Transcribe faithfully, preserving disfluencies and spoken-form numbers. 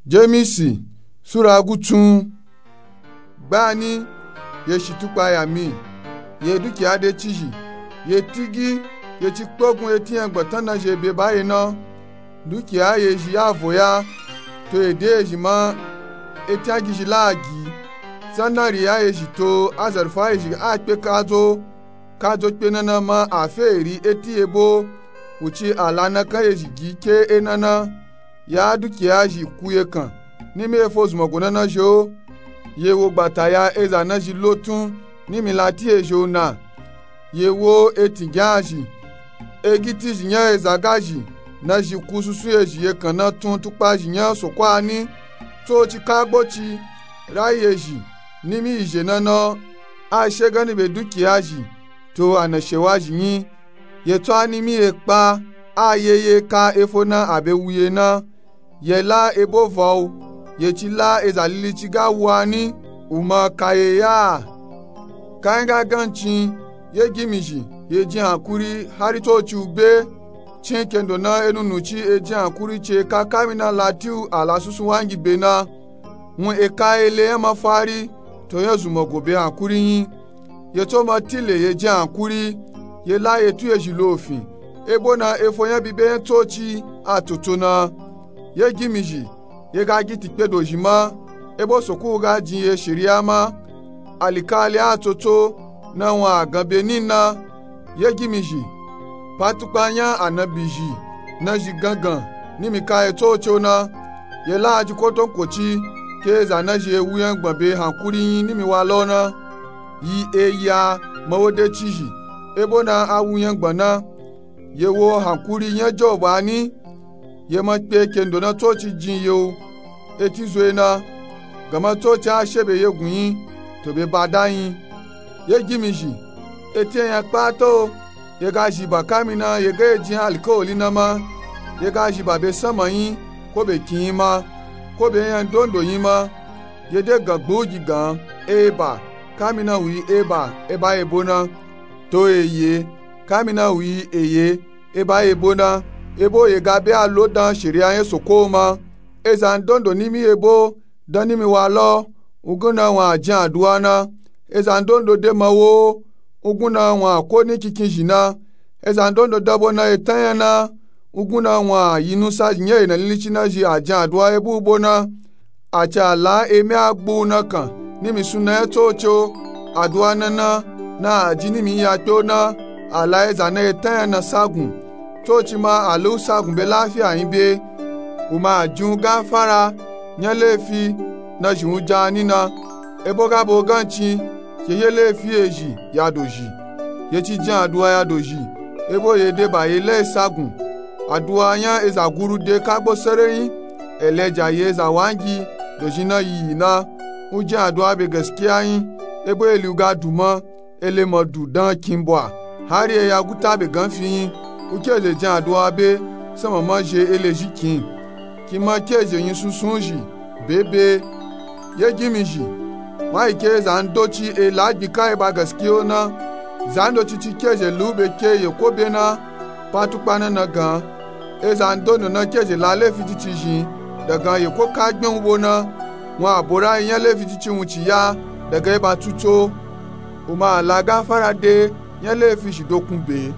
Jemisi sura gutsun. Gbani ye shi tukpa ya mi, ye dukiya de cizhi, ye tigi, ye ci kpogun eti yan gbatan na zhi ebe ba ye na. Dukiya ye zhi ya vo ya, to ede ye zhi ma, eti yan gizhi la gi, sanari ya ye zhi to azarfa ye zhi a kpe kadzo, kadzo kpe nana ma a fe eri eti ebo, wuci a la na kan ye zhi gi ke e nana. Ya dukiya zhi ku ye kan, nimi efo zunmọgo nana zhi o. Ye wo gbata ya eza na zhi lotun, nimi lati ye zhi o na. Ye wo eti gyan zhi, egiti zhi yan eza ga zhi, na zhi ku susu ye zhi ye kan na tun tukpa zhi yan sokwa ni. Tsoci kagbo ci, rayi ye zhi, nimi yi zhe nana o, a she gani be dukiya zhi, to a na shewa zhi yin. Ye tso a nimi ye kpa, a ye ye ka efo na a be wu ye na. Ye la ebo va u, ye ci la eza lili ci ga wu a ni, u ma ka ye ya. Ka yin ga gan cin, ye gimi zhi, ye jin hankuri hari tsoci u be. Cin kendo na enu nu ci e jin hankuri ci e ka kamina lati u a la susu wangi be na. Wun e ka ele yan mafari, to yan zunmọgo be hankuri yin. Ye tso ma tile ye jin hankuri, ye la ye tu ye zhi lofin, ebo na efo yan bibe yan tsoci a toto na. Ye gimi zhi, ye ga giti kpedo zhi ma, ebo soko ga jin ye shiriya ma. Alikali a toto, na wun a gan be ni na. Ye gimi zhi, pa tukpa yan anabi zhi, na zhi gangan, nimi ka ye tsoci o na. Ye la a ji kotonkoci, ke eza na zhi e wu yan gban be hankuri yin nimi wa la o na. Yi e ya, ma wo de cizhi, ebo na a wu yan gban na. Ye wo hankuri yan Jobu a ni. Ye ma kpe kendo na tsoci jin ye o, eti zo ye na. Gama tsoci a she be ye gun yin, to be ba da yin. Ye gimi zhi, eti yan kpata o, ye ga zhi ba kamina ye ga ye jin alikawali na ma. Ye ga zhi ba be sama yin, ko be kin yin ma, ko be yan dondo yin ma. Ye de gan gbugi gan, e ba, kamina wu yi e ba, e ba ebo na. To e ye, kamina wu yi e ye, e ba ebo na. Ebo ye ga be a lo dan shiriya yan soko ma. Eza ndondo nimi ebo, dan nimi wa la o, ugun na wun a jin aduwa na. Eza ndondo de ma wo, ugun na wun a ko ni kinkin zhi na. Eza ndondo da bo na etan yan na, ugun na wun a yi nusa zhi yan e na lili ci na zhi a jin aduwa ebo bo na. A ci a la emi a gbu na kan, nimi suna yan tsoci o. Aduwa nana, na a ji nimi ya kpe o na, a la eza na etan yan na sagun. Tsoci ma a lu sagun be lafiya yin be. U ma a jin u gafara, yan lefi, na zhi u ja ni na. Ebo ga bo gan cin, ke ye lefi ye zhi ya dozhi. Ye ci jin aduwa ya dozhi, ebo ye de ba ye la e sagun. Aduwa yan eza guru de kagbo sereyin, elija ye eza wangi, dozhi na yi yi na. U jin aduwa be gaskiya yin, ebo eli u ga du ma, ele ma du dan kin bwa, hari e ya guta be gan fi yin. U ke ze jin aduwa be, sama ma zhe ele zhi kin. Kin ma ke ze yin sunsun zhi, be be. Ye gimi zhi, wa yi ke za ndoci e la gbi ka e ba gaskiya o na. Za ndoci ci ke ze lu be ke ye ko be na, pa tukpa na na gan. Eza ndondo na ke ze la lefi cici zhi, daga ye ko ka gbin u bo na. Wun a bo ra yi yan lefi cici wun ci ya, daga e ba tuto. U ma a la gafara de, yan lefi shi dokun be.